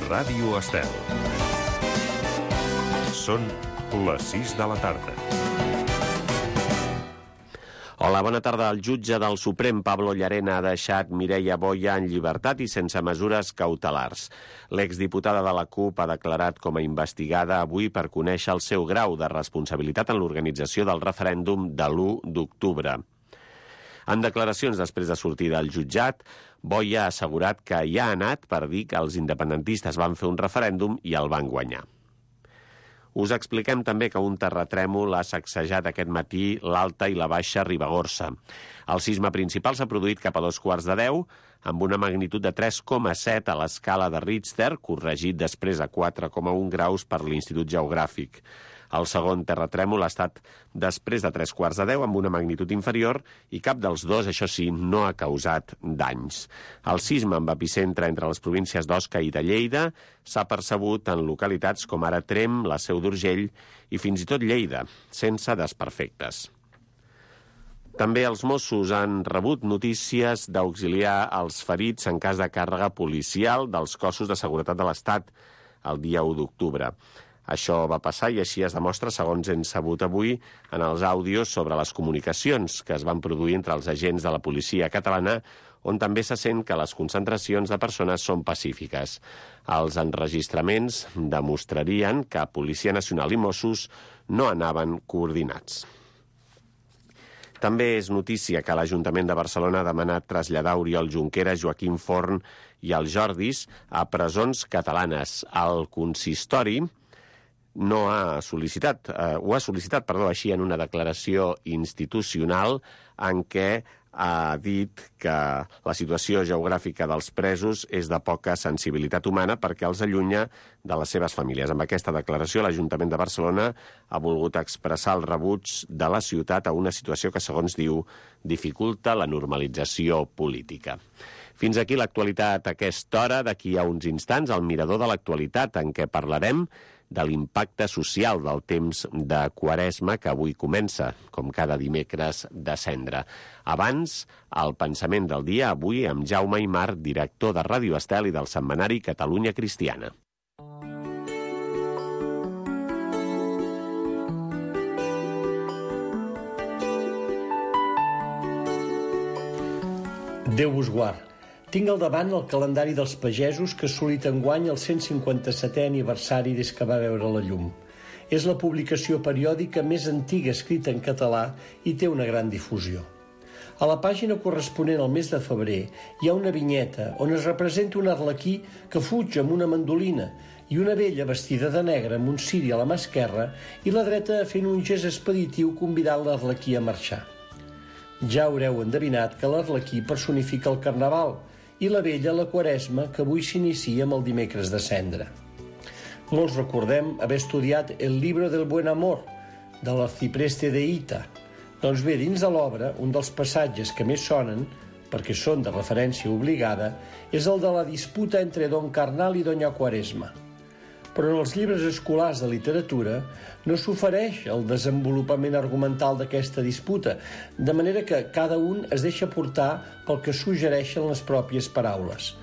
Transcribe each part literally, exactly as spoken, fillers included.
Ràdio Estel. Són les sis de la tarda. Hola, bona tarda. El jutge del Suprem, Pablo Llarena, ha deixat Mireia Boya en llibertat i sense mesures cautelars. L'exdiputada de la CUP ha declarat com a investigada avui per conèixer el seu grau de responsabilitat en l'organització del referèndum de l'u d'octubre. En declaracions després de sortir del jutjat, Boya ha assegurat que hi ha anat per dir que els independentistes van fer un referèndum i el van guanyar. Us expliquem també que un terratrèmol ha sacsejat aquest matí l'Alta i la Baixa Ribagorça. El sisme principal s'ha produït cap a dos quarts de deu, amb una magnitud de tres coma set a l'escala de Richter, corregit després a quatre coma un graus per l'Institut Geogràfic. El segon terratrèmol ha estat després de tres quarts de deu, amb una magnitud inferior, i cap dels dos, això sí, no ha causat danys. El sisme amb epicentre entre les províncies d'Osca i de Lleida s'ha percebut en localitats com ara Tremp, la Seu d'Urgell i fins i tot Lleida, sense desperfectes. També els Mossos han rebut notícies d'auxiliar els ferits en cas de càrrega policial dels cossos de seguretat de l'Estat el dia u d'octubre. Això va passar i així es demostra, segons hem sabut avui, en els àudios sobre les comunicacions que es van produir entre els agents de la policia catalana, on també se sent que les concentracions de persones són pacífiques. Els enregistraments demostrarien que Policia Nacional i Mossos no anaven coordinats. També és notícia que l'Ajuntament de Barcelona ha demanat traslladar Oriol Junqueras, Joaquim Forn i els Jordis a presons catalanes. El consistori no ha sol·licitat, eh, ho ha sol·licitat, perdó, així en una declaració institucional en què ha dit que la situació geogràfica dels presos és de poca sensibilitat humana perquè els allunya de les seves famílies. Amb aquesta declaració, l'Ajuntament de Barcelona ha volgut expressar el rebuig de la ciutat a una situació que, segons diu, dificulta la normalització política. Fins aquí l'actualitat a aquesta hora. D'aquí a uns instants, el mirador de l'actualitat, en què parlarem de l'impacte social del temps de Quaresma que avui comença, com cada dimecres de Cendra. Abans, el pensament del dia, avui amb Jaume Aymar, director de Ràdio Estel i del setmanari Catalunya Cristiana. Déu vos guard. Tinc al davant el calendari dels pagesos que ha assolit enguany el cent cinquanta-setè aniversari des que va veure la llum. És la publicació periòdica més antiga escrita en català i té una gran difusió. A la pàgina corresponent al mes de febrer hi ha una vinyeta on es representa un arlequí que fuig amb una mandolina i una vella vestida de negre amb un ciri a la mà esquerra i la dreta fent un gest expeditiu convidant l'arlequí a marxar. Ja haureu endevinat que l'arlequí personifica el carnaval i la vella la Quaresma, que avui s'inicia amb el dimecres de Cendra. Molts recordem haver estudiat El libro del buen amor, de l'Arcipreste de Hita. Doncs bé, dins de l'obra, un dels passatges que més sonen, perquè són de referència obligada, és el de la disputa entre Don Carnal i Doña Quaresma. Però en els llibres escolars de literatura no s'ofereix el desenvolupament argumental d'aquesta disputa, de manera que cada un es deixa portar pel que suggereixen les pròpies paraules.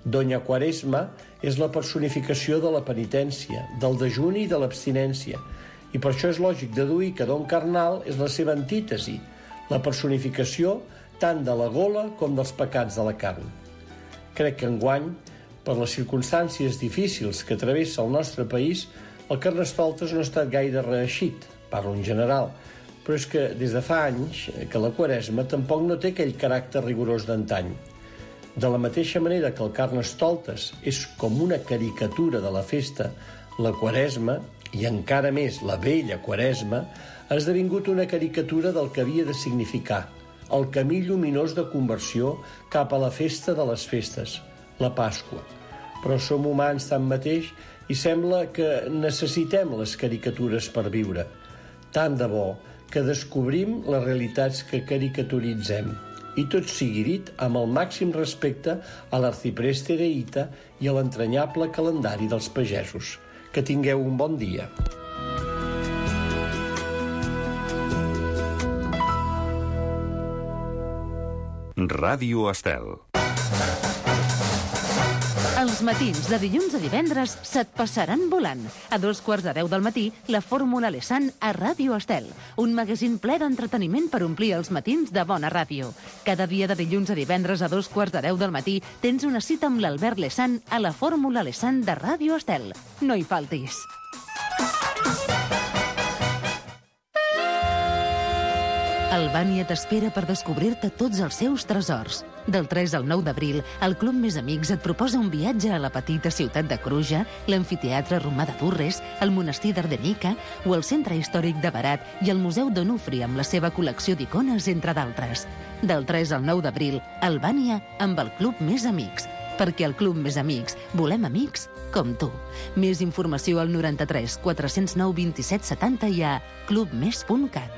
Doña Quaresma és la personificació de la penitència, del dejuni i de l'abstinència, i per això és lògic deduir que Don Carnal és la seva antítesi, la personificació tant de la gola com dels pecats de la carn. Crec que enguany, per les circumstàncies difícils que travessa el nostre país, el Carnestoltes no ha estat gaire reeixit, parlo en general, però és que des de fa anys que la Quaresma tampoc no té aquell caràcter rigorós d'antany. De la mateixa manera que el Carnestoltes és com una caricatura de la festa, la Quaresma, i encara més la vella Quaresma, ha esdevingut una caricatura del que havia de significar, el camí lluminós de conversió cap a la festa de les festes, la Pasqua. Però som humans tanmateix i sembla que necessitem les caricatures per viure. Tant de bo que descobrim les realitats que caricaturitzem. I tot sigui dit amb el màxim respecte a l'Arcipreste de Hita i a l'entranyable calendari dels pagesos. Que tingueu un bon dia. Ràdio Estel. Els matins de dilluns a divendres se't passaran volant. A dos quarts de deu del matí, la Fórmula Lesan a Ràdio Estel. Un magazín ple d'entreteniment per omplir els matins de bona ràdio. Cada dia de dilluns a divendres a dos quarts de deu del matí tens una cita amb l'Albert Lesan a la Fórmula Lesan de Ràdio Estel. No hi faltis. Albània t'espera per descobrir-te tots els seus tresors. Del tres al nou d'abril, el Club Més Amics et proposa un viatge a la petita ciutat de Cruja, l'amfiteatre romà de Durres, el monestir d'Ardenica o el centre històric de Berat i el Museu d'Onufri amb la seva col·lecció d'icones, entre d'altres. Del tres al nou d'abril, Albània amb el Club Més Amics. Perquè al Club Més Amics volem amics com tu. Més informació al noranta-tres quatre-cents nou vint-i-set setanta i a clubmes punt cat.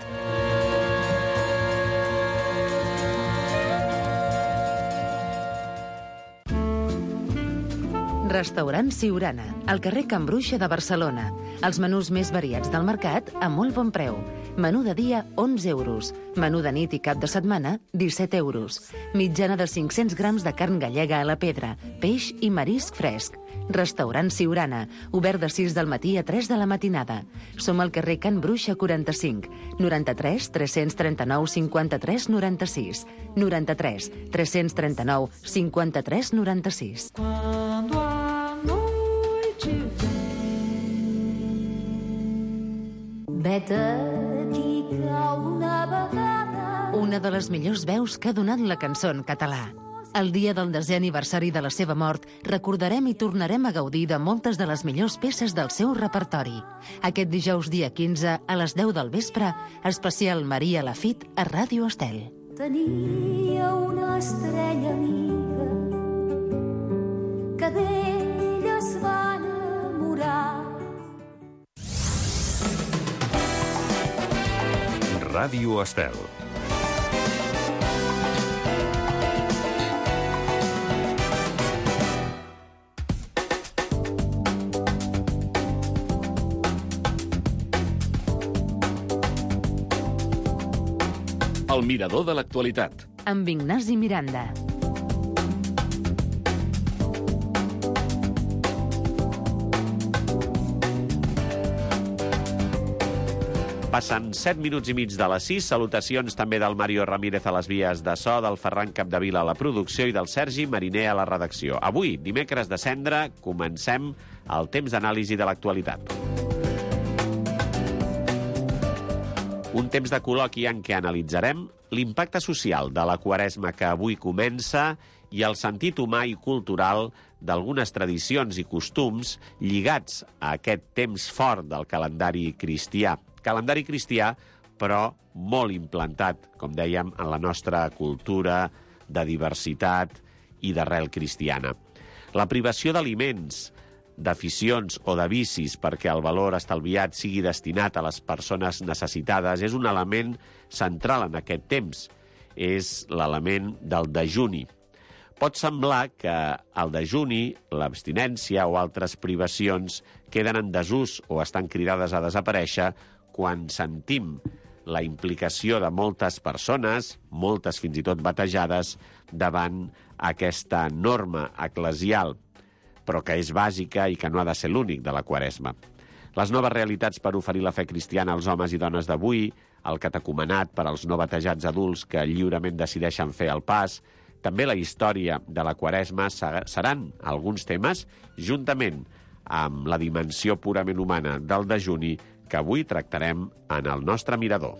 Restaurant Siurana, al carrer Can Bruixa de Barcelona. Els menús més variats del mercat a molt bon preu. Menú de dia, onze euros. Menú de nit i cap de setmana, disset euros. Mitjana de cinc-cents grams de carn gallega a la pedra, peix i marisc fresc. Restaurant Siurana, obert de sis del matí a tres de la matinada. Som al carrer Can Bruixa quaranta-cinc, noranta-tres tres-cents trenta-nou cinquanta-tres noranta-sis, noranta-tres tres-cents trenta-nou cinquanta-tres noranta-sis. Vet aquí una vegada. Una de les millors veus que ha donat la cançó en català. El dia del desè aniversari de la seva mort, recordarem i tornarem a gaudir de moltes de les millors peces del seu repertori. Aquest dijous dia quinze, a les deu del vespre, especial Maria Lafit a Ràdio Estel. Tenia una estrella amiga que d'ella es va enamorar. Ràdio Estel. El mirador de l'actualitat. Amb Ignasi Miranda. Passen set minuts i mig de les sis. Salutacions també del Mario Ramírez a les vies de so, del Ferran Capdevila a la producció i del Sergi Mariner a la redacció. Avui, dimecres de Cendra, comencem el temps d'anàlisi de l'actualitat. Un temps de col·loqui en què analitzarem l'impacte social de la Quaresma que avui comença i el sentit humà i cultural d'algunes tradicions i costums lligats a aquest temps fort del calendari cristià. Calendari cristià, però molt implantat, com dèiem, en la nostra cultura de diversitat i d'arrel cristiana. La privació d'aliments, d'aficions o de vicis perquè el valor estalviat sigui destinat a les persones necessitades és un element central en aquest temps. És l'element del dejuni. Pot semblar que el dejuni, l'abstinència o altres privacions queden en desús o estan cridades a desaparèixer quan sentim la implicació de moltes persones, moltes fins i tot batejades, davant aquesta norma eclesial, però que és bàsica i que no ha de ser l'únic de la Quaresma. Les noves realitats per oferir la fe cristiana als homes i dones d'avui, el catecumenat per als no batejats adults que lliurement decideixen fer el pas, també la història de la Quaresma seran alguns temes, juntament amb la dimensió purament humana del dejuni, que avui tractarem en el nostre mirador.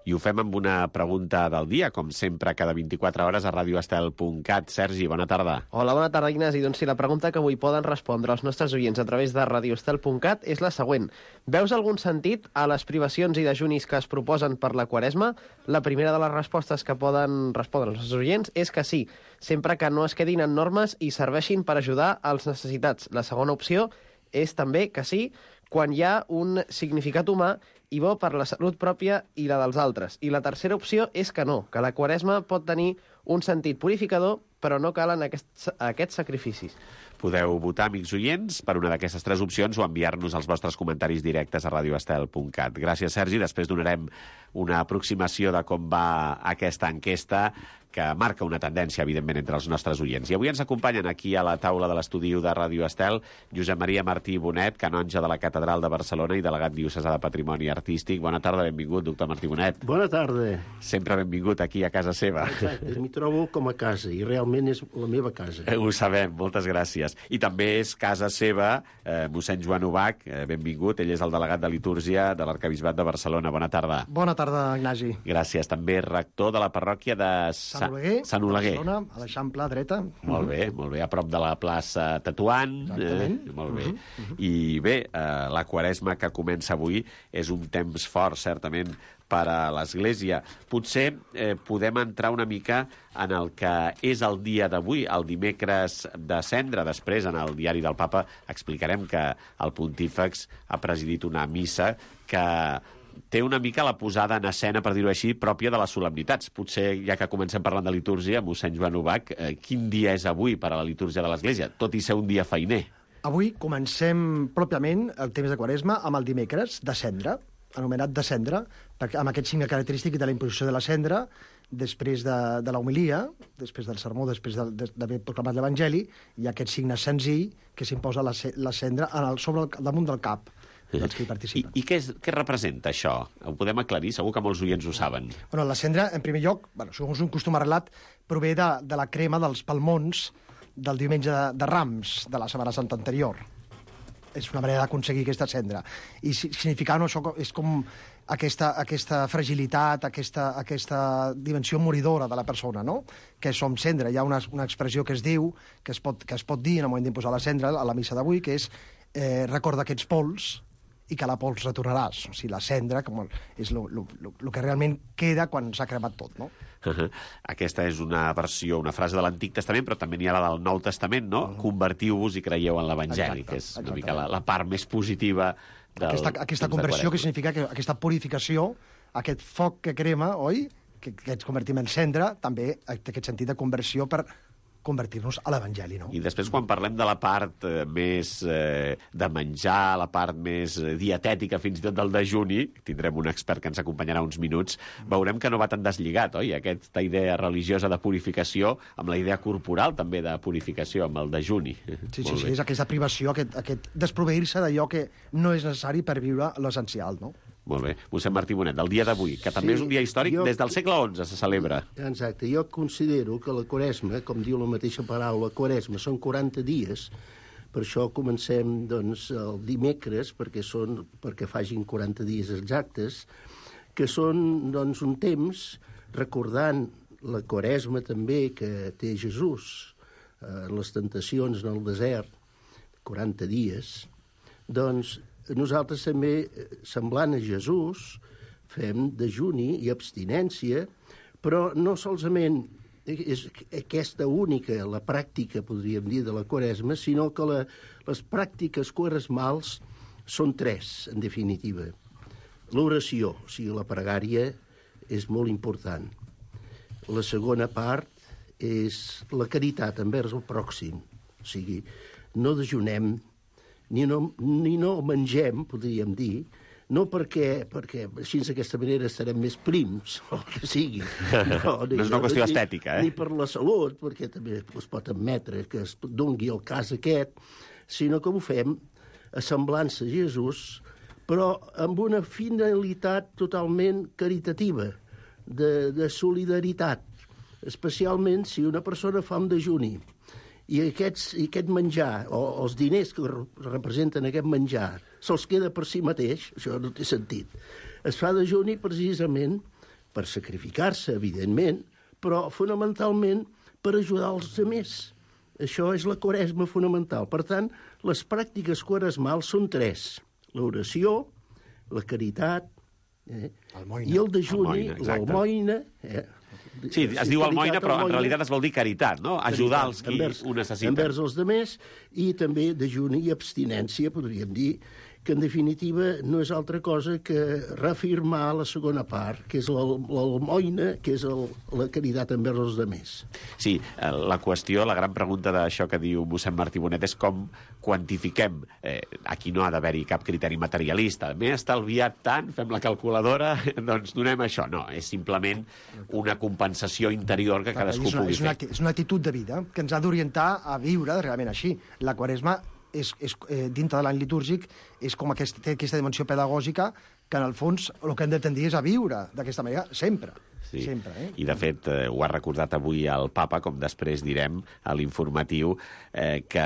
I ho fem amb una pregunta del dia, com sempre, cada vint-i-quatre hores a radioestel punt cat. Sergi, bona tarda. Hola, bona tarda, Ignasi. Doncs sí, la pregunta que avui poden respondre els nostres oients a través de radioestel punt cat és la següent. Veus algun sentit a les privacions i dejunis que es proposen per la Quaresma? La primera de les respostes que poden respondre els nostres oients és que sí, sempre que no es quedin en normes i serveixin per ajudar als necessitats. La segona opció és també que sí, quan hi ha un significat humà i bo per la salut pròpia i la dels altres. I la tercera opció és que no, que la Quaresma pot tenir un sentit purificador, però no calen aquests, aquests sacrificis. Podeu votar, amics oients, per una d'aquestes tres opcions o enviar-nos els vostres comentaris directes a radio estel punt cat. Gràcies, Sergi. Després donarem una aproximació de com va aquesta enquesta, que marca una tendència, evidentment, entre els nostres oients. I avui ens acompanyen aquí a la taula de l'estudi de Ràdio Estel Josep Maria Martí Bonet, canonge de la Catedral de Barcelona i delegat diocesà de Patrimoni Artístic. Bona tarda, benvingut, doctor Martí Bonet. Bona tarda. Sempre benvingut aquí a casa seva. Exacte, m'hi trobo com a casa, i realment és la meva casa. Eh, ho sabem, moltes gràcies. I també és casa seva eh, mossèn Joan Ubach, eh, benvingut, ell és el delegat de litúrgia de l'Arquebisbat de Barcelona. Bona tarda. Bona tarda, Ignasi. Gràcies. També rector de la parròquia de Sant Oleguer, Sant Oleguer. Barcelona, a l'Eixample dreta. Molt bé, molt bé, a prop de la plaça Tetuan. Exactament. Eh, molt bé. Uh -huh, uh -huh. I bé, eh, la Quaresma que comença avui és un temps fort, certament, per a l'Església. Potser eh, podem entrar una mica en el que és el dia d'avui, el dimecres de Cendra. Després, en el diari del Papa, explicarem que el pontífex ha presidit una missa que té una mica la posada en escena, per dir-ho així, pròpia de les solemnitats. Potser, ja que comencem parlant de litúrgia, mossèn Joan Ubach, eh, quin dia és avui per a la litúrgia de l'Església, tot i ser un dia feiner? Avui comencem pròpiament el temps de Quaresma amb el dimecres de Cendra, anomenat de Cendra, perquè amb aquest signe característic de la imposició de la cendra, després de, de l'homilia, després del sermó, després d'haver de, proclamat l'Evangeli, hi ha aquest signe senzill que s'imposa la, la cendra en el, sobre el, damunt del cap dels que hi participen. I, i què, és, què representa això? Ho podem aclarir? Segur que molts oients ho saben. Bueno, la cendra, en primer lloc, bueno, segons un costum arrelat, prové de, de la crema dels palmons del diumenge de, de Rams, de la Setmana Santa anterior. És una manera d'aconseguir aquesta cendra. I significant això és com aquesta, aquesta fragilitat, aquesta, aquesta dimensió moridora de la persona, no? Que som cendra. Hi ha una, una expressió que es diu, que es pot, que es pot dir en el moment d'imposar la cendra, a la missa d'avui, que és eh, recorda que ets pols i que a la pols retornaràs. O sigui, la cendra com és el que realment queda quan s'ha cremat tot, no? Uh -huh. Aquesta és una versió, una frase de l'Antic Testament, però també n'hi ha la del Nou Testament, no? Uh -huh. Convertiu-vos i creieu en l'Evangeli, que és una exactament. mica la, la part més positiva del Aquesta, aquesta conversió, que significa que aquesta purificació, aquest foc que crema, oi?, que, que ens convertim en cendra, també té aquest sentit de conversió per convertir-nos a l'Evangeli, no? I després, quan parlem de la part eh, més eh, de menjar, la part més eh, dietètica, fins i tot del dejuni, tindrem un expert que ens acompanyarà uns minuts, veurem que no va tan deslligat, oi? Aquesta idea religiosa de purificació amb la idea corporal també de purificació, amb el dejuni. Sí, sí, sí, és aquesta privació, aquest, aquest desproveir-se d'allò que no és necessari per viure l'essencial, no? Molt bé. mossèn Martí Bonet, del dia d'avui, que també sí, és un dia històric, jo, des del segle onze se celebra. Exacte. Jo considero que la Quaresma, com diu la mateixa paraula, Quaresma, són quaranta dies. Per això comencem doncs, el dimecres, perquè, són, perquè fagin quaranta dies exactes, que són doncs, un temps recordant la Quaresma també que té Jesús en eh, les tentacions en el desert, quaranta dies, doncs nosaltres també, semblant a Jesús, fem dejuni i abstinència, però no solament és aquesta única, la pràctica, podríem dir, de la Quaresma, sinó que la, les pràctiques quaresmals són tres, en definitiva. L'oració, o sigui, la pregària, és molt important. La segona part és la caritat envers el pròxim, o sigui, no dejunem, Ni no, ni no mengem, podríem dir, no perquè, perquè així d'aquesta manera estarem més prims, o el que sigui. No, no és una qüestió ni, estètica, eh? Ni per la salut, perquè també es pot admetre que es dongui el cas aquest, sinó que ho fem a semblança a Jesús, però amb una finalitat totalment caritativa, de, de solidaritat, especialment si una persona fa un dejuni. I, aquests, i aquest menjar, o els diners que representen aquest menjar, se'ls queda per si mateix, això no té sentit. Es fa dejuni precisament per sacrificar-se, evidentment, però fonamentalment per ajudar els altres. Això és la Quaresma fonamental. Per tant, les pràctiques quaresmals són tres. L'oració, la caritat eh, el i el dejuni, l'almoina... Eh, Sí, es diu almoina, però en realitat es vol dir caritat, no? Ajudar els qui envers, ho necessiten. Envers els demés, i també dejuni i abstinència, podríem dir, que en definitiva no és altra cosa que reafirmar la segona part, que és l'almoina, que és el, la caritat envers els altres. Sí, la qüestió, la gran pregunta d'això que diu mossèn Martí Bonet és com quantifiquem. Eh, aquí no ha d'haver-hi cap criteri materialista. M'he estalviat tant, fem la calculadora, doncs donem això. No, és simplement una compensació interior que cadascú és una, pugui és una, fer. És una actitud de vida que ens ha d'orientar a viure realment així. La Quaresma és, és, eh, dintre de l'any litúrgic és com aquest, té aquesta dimensió pedagògica que en el fons el que hem de tendir és a viure d'aquesta manera sempre. Sí. Sempre, eh? I de fet eh, ho ha recordat avui el papa, com després direm a l'informatiu, eh, que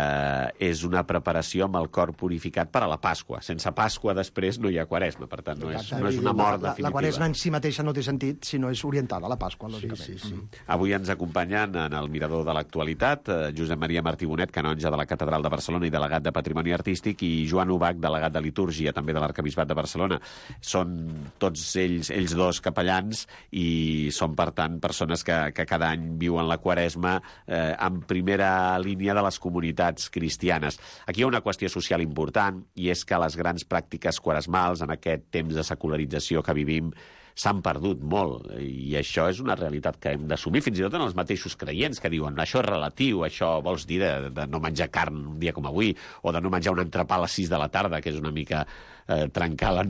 és una preparació amb el cor purificat per a la Pasqua. Sense Pasqua després no hi ha Quaresma, per tant no és, no és una mort la, la, definitiva. La Quaresma en si mateixa no té sentit si no és orientada a la Pasqua, lògicament. Sí, sí, sí. Avui ens acompanyen en el mirador de l'actualitat eh, Josep Maria Martí Bonet, canonge de la Catedral de Barcelona i delegat de Patrimoni Artístic, i Joan Ubach, delegat de Litúrgia, també de l'Arquebisbat de Barcelona. Són tots ells, ells dos capellans i són, per tant, persones que, que cada any viuen la Quaresma eh, en primera línia de les comunitats cristianes. Aquí hi ha una qüestió social important, i és que les grans pràctiques quaresmals en aquest temps de secularització que vivim s'han perdut molt, i això és una realitat que hem d'assumir, fins i tot en els mateixos creients que diuen això és relatiu, això vols dir de, de no menjar carn un dia com avui, o de no menjar un entrepà a les sis de la tarda, que és una mica eh, trencar la,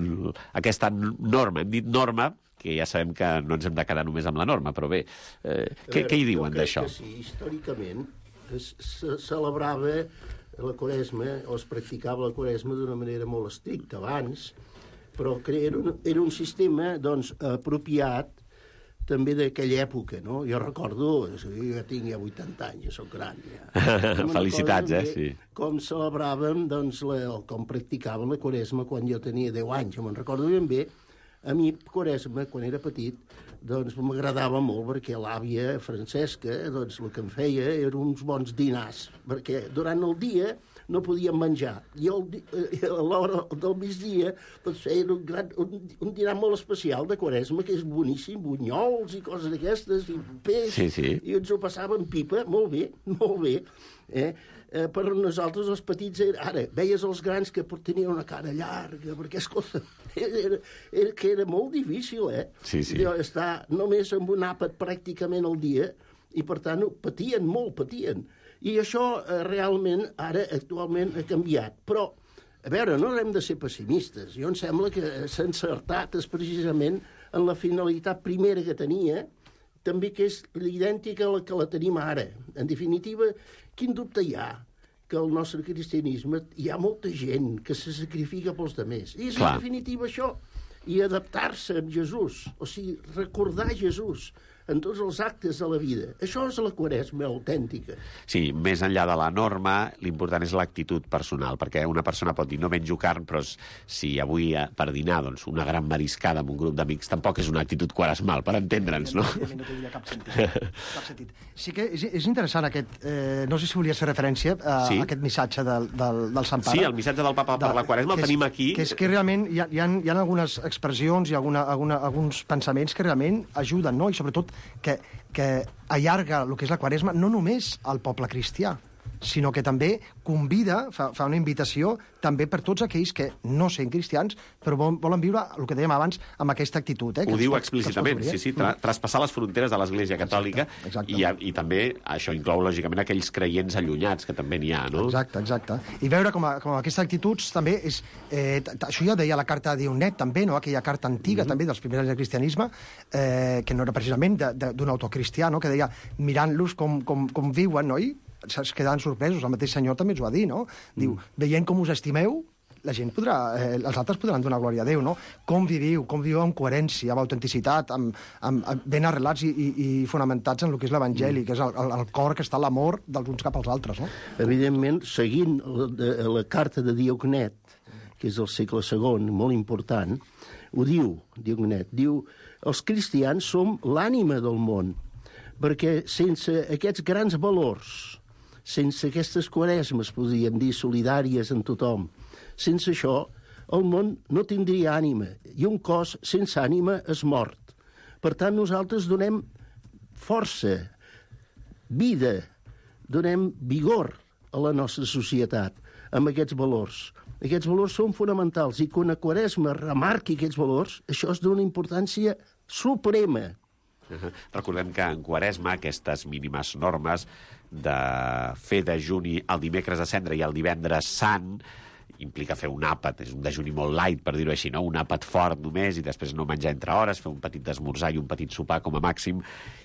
aquesta norma. Hem dit norma, que ja sabem que no ens hem de quedar només amb la norma, però bé, eh, què, què hi diuen d'això? Sí, històricament es, se celebrava la Quaresma, o es practicava la Quaresma d'una manera molt estricta abans, però era un, era un sistema doncs, apropiat també d'aquella època, no? Jo recordo, jo ja tinc ja vuitanta anys, ja soc gran. Ja. Felicitats, eh? Sí. Com celebràvem, doncs, la, com practicàvem la Quaresma quan jo tenia deu anys, me'n recordo ben bé. A mi, Quaresma, quan era petit, doncs m'agradava molt perquè l'àvia Francesca, doncs el que em feia eren uns bons dinars, perquè durant el dia no podíem menjar. I el, a l'hora del migdia doncs feien un, gran, un, un dinar molt especial de Quaresma, que és boníssim, bunyols i coses d'aquestes, i peix, sí, sí. I ens ho passàvem pipa, molt bé, molt bé. Eh? Eh, per nosaltres els petits, ara, veies els grans que tenien una cara llarga, perquè, escolta, era, era, que era molt difícil, eh? Sí, sí. Estar només amb un àpat pràcticament al dia, i per tant patien molt, patien. I això eh, realment, ara, actualment, ha canviat. Però, a veure, no hem de ser pessimistes. Jo em sembla que s'ha encertat és precisament en la finalitat primera que tenia, també que és idèntica a la que la tenim ara. En definitiva, quin dubte hi ha? Que el nostre cristianisme hi ha molta gent que se sacrifica pels altres. I és, Clar. en definitiva, això. I adaptar-se a Jesús, o sigui, recordar Jesús en tots els actes de la vida. Això és la Quaresma autèntica. Sí, més enllà de la norma, l'important és l'actitud personal, perquè una persona pot dir no menjo carn, però si avui per dinar doncs, una gran mariscada amb un grup d'amics tampoc és una actitud quaresmal, per entendre'ns, no? No tenia cap sentit. Cap sentit. Sí que és, és interessant aquest... Eh, no sé si volies fer referència a Sí. aquest missatge del, del, del Sant Pare. Sí, el missatge del papa per la Quaresma el que és- tenim aquí. Que és que realment hi ha, hi ha, hi ha algunes expressions i alguna, alguna, alguns pensaments que realment ajuden, no? I sobretot que, que allarga el que és la Quaresma no només al poble cristià, sinó que també convida, fa, fa una invitació també per tots aquells que no sent cristians, però volen, volen viure el que dèiem abans amb aquesta actitud. Eh, que Ho ens diu pot- que ens pot explícitament, obrir, eh? sí, sí, tra traspassar les fronteres de l'Església Catòlica, exacte. I, i també això inclou, lògicament, aquells creients allunyats, que també n'hi ha, no? Exacte, exacte. I veure com, a, com aquestes actituds també és... Eh, t- t- això ja deia la carta de Dionet, també, no? Aquella carta antiga, mm -hmm. també, dels primers anys del cristianisme, eh, que no era precisament d'un autor cristià, no? Que deia, mirant-los com, com, com viuen, no? I es quedaven sorpresos. El mateix senyor també ens ho va dir, no? Diu, mm. veient com us estimeu, la gent podrà, eh, els altres podran donar glòria a Déu, no? Com viviu, com viviu amb coherència, amb autenticitat, amb, amb, amb ben arrelats i, i, i fonamentats en el que és l'Evangeli, mm. que és el, el, el cor que està l'amor dels uns cap als altres, no? Evidentment, seguint la, de, la carta de Diognet, que és del segle segon, molt important, ho diu, Diognet, diu, els cristians som l'ànima del món, perquè sense aquests grans valors, sense aquestes quaresmes, podríem dir, solidàries en tothom, sense això, el món no tindria ànima, i un cos sense ànima és mort. Per tant, nosaltres donem força, vida, donem vigor a la nostra societat amb aquests valors. Aquests valors són fonamentals i quan a Quaresma remarqui aquests valors, això és d'una importància suprema. Uh-huh. Recordem que en Quaresma aquestes mínimes normes de fer dejuni el dimecres de cendra i el divendres sant implica fer un àpat, és un dejuni molt light, per dir-ho així, no? Un àpat fort només i després no menjar entre hores, fer un petit esmorzar i un petit sopar com a màxim,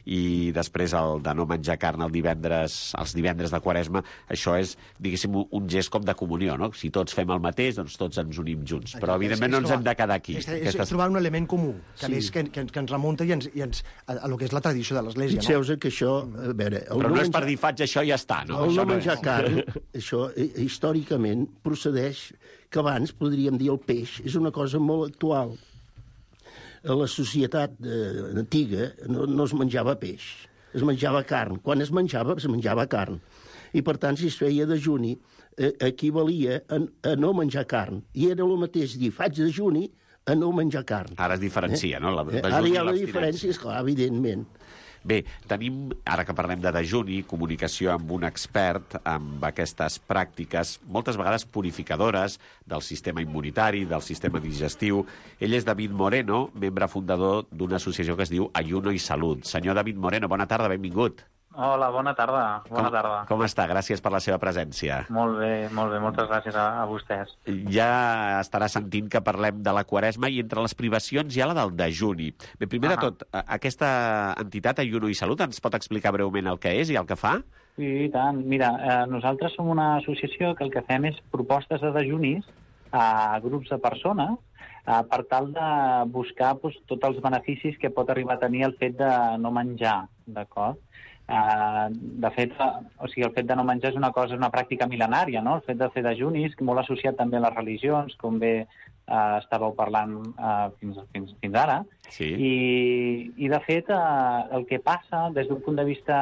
i després el de no menjar carn el divendres, els divendres de Quaresma, això és, diguéssim, un gest com de comunió, no? Si tots fem el mateix, doncs tots ens unim junts. Però, evidentment, no ens hem de quedar aquí. És, és, Aquestes... és trobar un element comú, que, sí. més, que, que, que ens remunta i ens, i ens, a, a lo que és la tradició de l'Església. Fixeu-vos que això... A veure, Però no, no és per dir faig això i ja està, no? El això no menjar no és. carn, això històricament procedeix que abans, podríem dir, el peix és una cosa molt actual. A la societat eh, antiga no, no es menjava peix, es menjava carn. Quan es menjava, es menjava carn. I, per tant, si es feia dejuni, eh, equivalia a, a no menjar carn. I era el mateix dir faig dejuni a no menjar carn. Ara es diferencia, eh? no? La dejuni Ara hi ha la diferència, esclar, evidentment. Bé, tenim, ara que parlem de dejuni, comunicació amb un expert amb aquestes pràctiques, moltes vegades purificadores del sistema immunitari, del sistema digestiu. Ell és David Moreno, membre fundador d'una associació que es diu Ayuno i Salut. Senyor David Moreno, bona tarda, benvingut. Hola, bona tarda. Bona com, tarda. Com està? Gràcies per la seva presència. Molt bé, molt bé. Moltes gràcies a, a vostès. Ja estarà sentint que parlem de la Quaresma i entre les privacions hi ha la del dejuni. Bé, primer ah. de tot, aquesta entitat, Ayuno i Salut, ens pot explicar breument el que és i el que fa? Sí, i tant. Mira, eh, nosaltres som una associació que el que fem és propostes de dejunis a grups de persones eh, per tal de buscar doncs, tots els beneficis que pot arribar a tenir el fet de no menjar, d'acord? Uh, de fet, uh, o sigui, el fet de no menjar és una cosa, és una pràctica mil·lenària, no? El fet de fer dejunis, molt associat també a les religions, com bé uh, estàveu parlant uh, fins, fins, fins ara. Sí. I, I, de fet, uh, el que passa des d'un punt de vista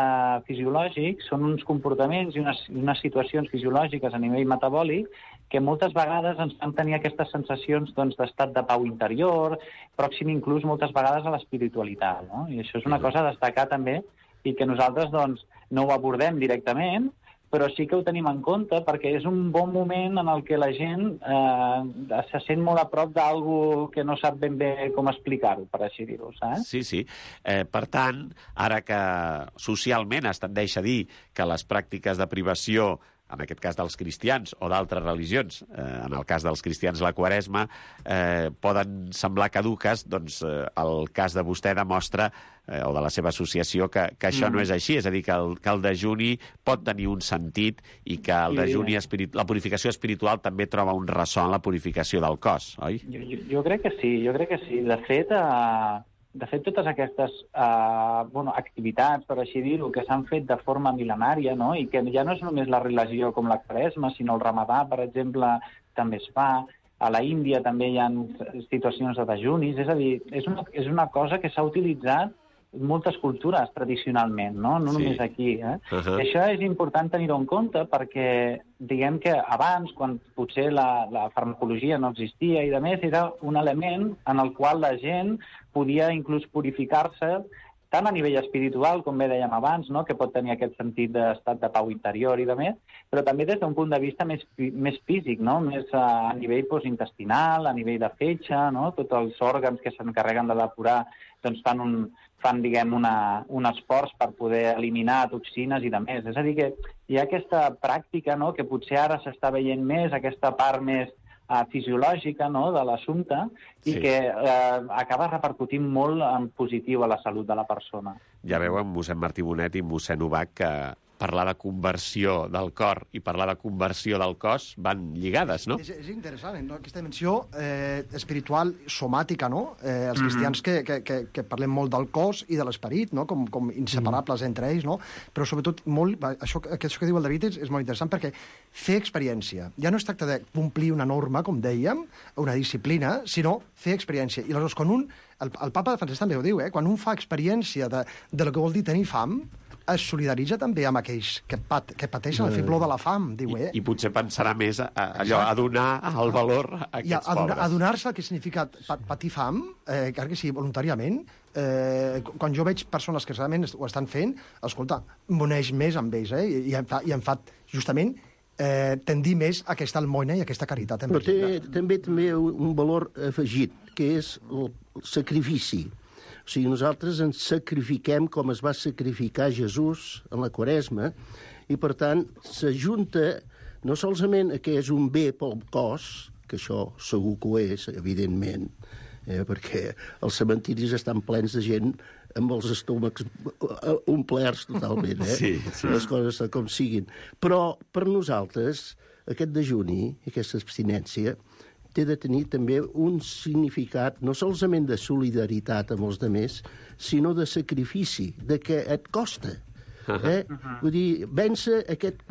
fisiològic són uns comportaments i unes, unes situacions fisiològiques a nivell metabòlic que moltes vegades ens fan tenir aquestes sensacions doncs, d'estat de pau interior, pròxim inclús moltes vegades a l'espiritualitat, no? I això és una cosa a destacar també i que nosaltres doncs, no ho abordem directament, però sí que ho tenim en compte perquè és un bon moment en el que la gent eh, se sent molt a prop d'algú que no sap ben bé com explicar-ho, per així dir-ho, saps? Sí, sí. Eh, per tant, ara que socialment es tendeix a dir que les pràctiques de privació, en aquest cas dels cristians o d'altres religions, eh, en el cas dels cristians la Quaresma, eh, poden semblar caduques, doncs eh, el cas de vostè demostra, eh, o de la seva associació, que, que això mm. no és així, és a dir, que el, que el dejuni pot tenir un sentit i que el sí. dejuni espirit... la purificació espiritual també troba un ressò en la purificació del cos, oi? Jo, jo, jo crec que sí, jo crec que sí. De fet, eh... De fet, totes aquestes eh, bueno, activitats, per així dir-ho, que s'han fet de forma mil·lenària, no? I que ja no és només la religió com la Quaresma, sinó el Ramadà, per exemple, també es fa. A la Índia també hi ha situacions de dejunis. És a dir, és una, és una cosa que s'ha utilitzat en moltes cultures tradicionalment, no? No sí. només aquí. Eh? Uh-huh. I això és important tenir-ho en compte perquè, diguem que abans, quan potser la, la farmacologia no existia i de més, era un element en el qual la gent podia inclús purificar-se tant a nivell espiritual, com bé dèiem abans, no? Que pot tenir aquest sentit d'estat de pau interior i de més, però també des d'un punt de vista més, més físic, no? Més a, a nivell doncs, intestinal, a nivell de fetge, no? Tots els òrgans que s'encarreguen de depurar doncs, fan, un, fan diguem, una, un esforç per poder eliminar toxines i de més. És a dir, que hi ha aquesta pràctica, no? Que potser ara s'està veient més, aquesta part més Uh, fisiològica, no?, de l'assumpte i sí. que uh, acaba repercutint molt en positiu a la salut de la persona. Ja veu amb mossèn Martí Bonet i mossèn Ubach que parlar de conversió del cor i parlar de conversió del cos van lligades, no? És, és interessant, no? Aquesta dimensió eh, espiritual, somàtica, no? Eh, els cristians mm-hmm. que, que, que parlem molt del cos i de l'esperit, no? Com, com inseparables mm. entre ells, no? Però sobretot, molt, això, això que diu el David és, és molt interessant perquè fer experiència. Ja no es tracta de complir una norma, com dèiem, una disciplina, sinó fer experiència. I aleshores, quan un... El, el papa Francesc també ho diu, eh? Quan un fa experiència de, de lo que vol dir tenir fam, es solidaritza també amb aquells que, pat, que pateixen el fibló de la fam, diu, eh? I, i potser pensarà més a, a, allò, a donar el valor a aquests I a, a donar, pobres. A donar-se el que significa patir fam, eh, que sí, voluntàriament, eh, quan jo veig persones que realment ho estan fent, escolta, m'uneix més amb ells, eh? I, i, em fa, i em fa justament eh, tendir més a aquesta almoina i a aquesta caritat. Però té també també un valor afegit, que és el sacrifici. O sigui, nosaltres ens sacrifiquem com es va sacrificar Jesús en la Quaresma, i, per tant, s'ajunta no solament que és un bé pel cos, que això segur que ho és, evidentment, eh, perquè els cementiris estan plens de gent amb els estómacs omplerts totalment, eh? Sí, sí. Les coses com siguin. Però per nosaltres, aquest dejuni, aquesta abstinència, té de tenir també un significat no solament de solidaritat amb els altres, sinó de sacrifici, de que et costa. Eh? Uh-huh. Vull dir, vèncer aquest,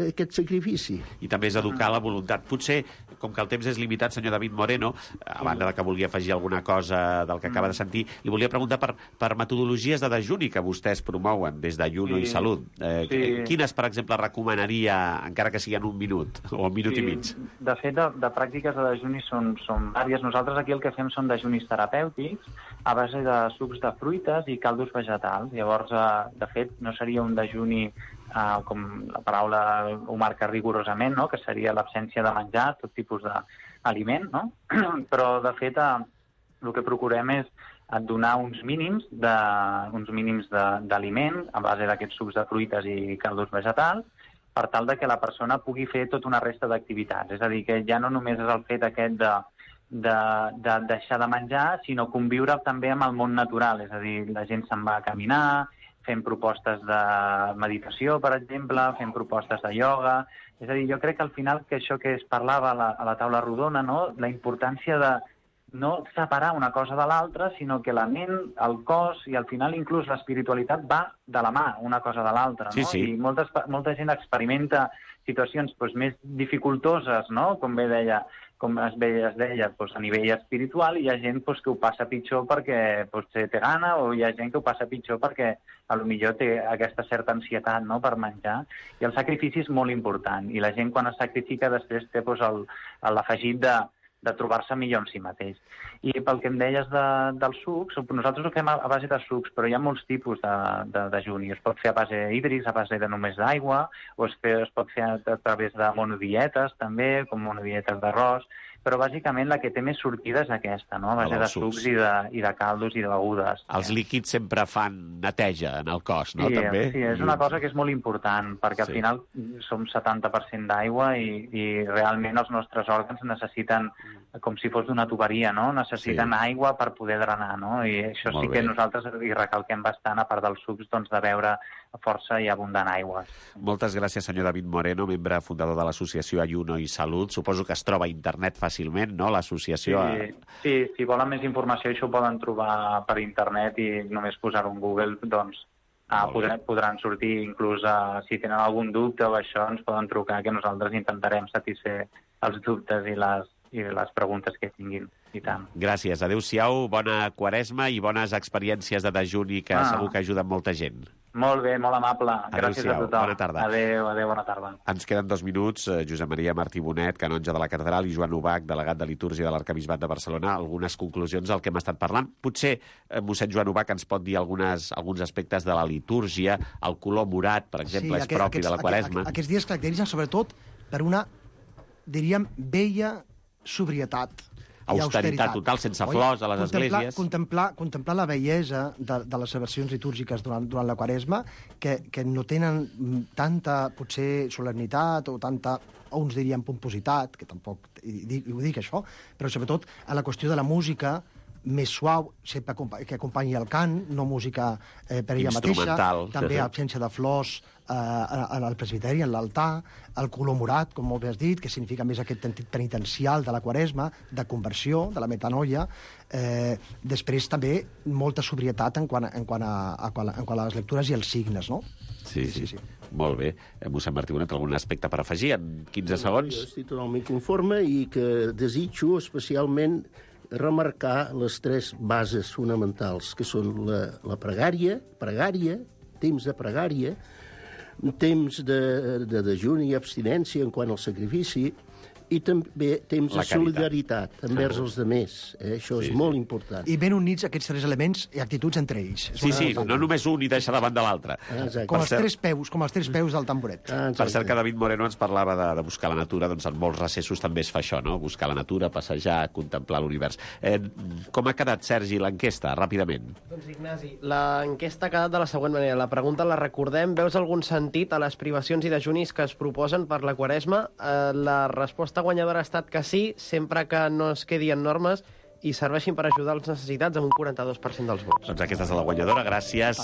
aquest sacrifici. I també és educar la voluntat. Potser, com que el temps és limitat, senyor David Moreno, a banda de que volia afegir alguna cosa del que acaba de sentir, li volia preguntar per, per metodologies de dejuni que vostès promouen des d'Ayuno sí. i Salut. Eh, sí. Quines, per exemple, recomanaria, encara que sigui en un minut o un minut sí. i mig? De fet, de, de pràctiques de dejuni són, són vàries. Nosaltres aquí el que fem són dejunis terapèutics a base de sucs de fruites i caldos vegetals. Llavors, eh, de fet, no seria un dejuni, eh, com la paraula ho marca rigorosament, no? Que seria l'absència de menjar, tot tipus d'aliment, no? Però, de fet, eh, el que procurem és donar uns mínims de, uns mínims d'aliment a base d'aquests sucs de fruites i caldos vegetals, per tal de que la persona pugui fer tota una resta d'activitats. És a dir, que ja no només és el fet aquest de De, de deixar de menjar, sinó conviure també amb el món natural. És a dir, la gent se'n va a caminar, fent propostes de meditació, per exemple, fent propostes de ioga. És a dir, jo crec que al final que això que es parlava a la, a la taula rodona, no? La importància de no separar una cosa de l'altra, sinó que la ment, el cos i al final inclús l'espiritualitat va de la mà una cosa de l'altra. Sí, no? sí. I molta, molta gent experimenta situacions doncs, més dificultoses, no? Com bé deia, com es deia, es deia doncs, a nivell espiritual, i hi ha gent doncs, que ho passa pitjor perquè potser té gana, o hi ha gent que ho passa pitjor perquè a lo millor té aquesta certa ansietat, no?, per menjar. I el sacrifici és molt important, i la gent quan es sacrifica després té doncs, l'afegit de de trobar-se millor en si mateix. I pel que em deies de, dels sucs, nosaltres ho fem a, a base de sucs, però hi ha molts tipus de, de, de dejuni. Es pot fer a base hídrics, a base de només d'aigua, o es, fe, es pot fer a, a través de monodietes, també, com monodietes d'arròs, però bàsicament la que té més sortida és aquesta, no?, a base de sucs, sucs i, de, i de caldos i de begudes. Els líquids sempre fan neteja en el cos, no?, sí, també? Sí, és una cosa que és molt important, perquè sí. Al final som setanta per cent d'aigua i, i realment els nostres òrgans necessiten, com si fos d'una tuberia, no?, necessiten sí. aigua per poder drenar, no?, i això molt sí que bé. Nosaltres hi recalquem bastant, a part dels sucs, doncs, de beure força i abundant aigua. Moltes gràcies, senyor David Moreno, membre fundador de l'associació Ayuno i Salut. Suposo que es troba a internet fàcilment, no?, l'associació... Sí, sí, si volen més informació, això ho poden trobar per internet i només posar-ho en Google, doncs ah, podran, podran sortir, inclús uh, si tenen algun dubte o això, ens poden trucar, que nosaltres intentarem satisfer els dubtes i les, i les preguntes que tinguin. I tant. Gràcies. Adéu-siau, bona Quaresma i bones experiències de dejuni que ah. segur que ajuden molta gent. Molt bé, molt amable. Gràcies a tothom. Bona tarda. Adéu, adéu, bona tarda. Ens queden dos minuts. Josep Maria Martí Bonet, canonge de la catedral, i Joan Ubach, delegat de litúrgia de l'Arquebisbat de Barcelona. Algunes conclusions del que hem estat parlant. Potser eh, mossèn Joan Ubach ens pot dir algunes, alguns aspectes de la litúrgia. El color morat, per exemple, sí, és propi aquests, de la Quaresma. Aquests, aquests dies caracteritzen sobretot per una, diríem, vella sobrietat. Austeritat total, sense flors a les contemplar, esglésies. Contemplar, contemplar la bellesa de, de les celebracions litúrgiques durant, durant la Quaresma, que, que no tenen tanta, potser, solemnitat o tanta, o uns diríem pompositat, que tampoc ho dic això, però sobretot a la qüestió de la música més suau, sempre que acompanyi el cant, no música eh, per ella mateixa, també absència de flors eh, al presbiteri, en l'altar, el color morat, com molt bé has dit, que significa més aquest sentit penitencial de la Quaresma, de conversió, de la metanoia, eh, després també molta sobrietat en quant a, en quant a, a, en quant a les lectures i els signes, no? Sí, sí, sí. sí. Molt bé. Mossèn Martí Bonet, algun aspecte per afegir en quinze segons? Jo estic totalment conforme i que desitjo especialment remarcar les tres bases fonamentals, que són la, la pregària, pregària, temps de pregària, temps de, de dejuni i abstinència en quant al sacrifici, I també temps La de caritat. solidaritat envers els altres. Eh? Això Sí, és sí. molt important. I ben units aquests tres elements i actituds entre ells. És Sí, molt sí, important. no només un i deixar davant de l'altre. Ah, exacte. Com Per els cert- tres peus, com els tres peus del tamboret. Ah, Per cert exacte. que David Moreno ens parlava de, de buscar la natura, doncs en molts recessos també es fa això, no? Buscar la natura, passejar, contemplar l'univers. Eh, com ha quedat, Sergi, l'enquesta, ràpidament? Doncs, Ignasi, l'enquesta ha quedat de la següent manera. La pregunta la recordem. Veus algun sentit a les privacions i dejunis que es proposen per la Quaresma? Eh, la resposta guanyadora ha estat que sí, sempre que no es quedi en normes i serveixin per ajudar els necessitats amb un quaranta-dos per cent dels vots. Doncs aquesta és la guanyadora. Gràcies.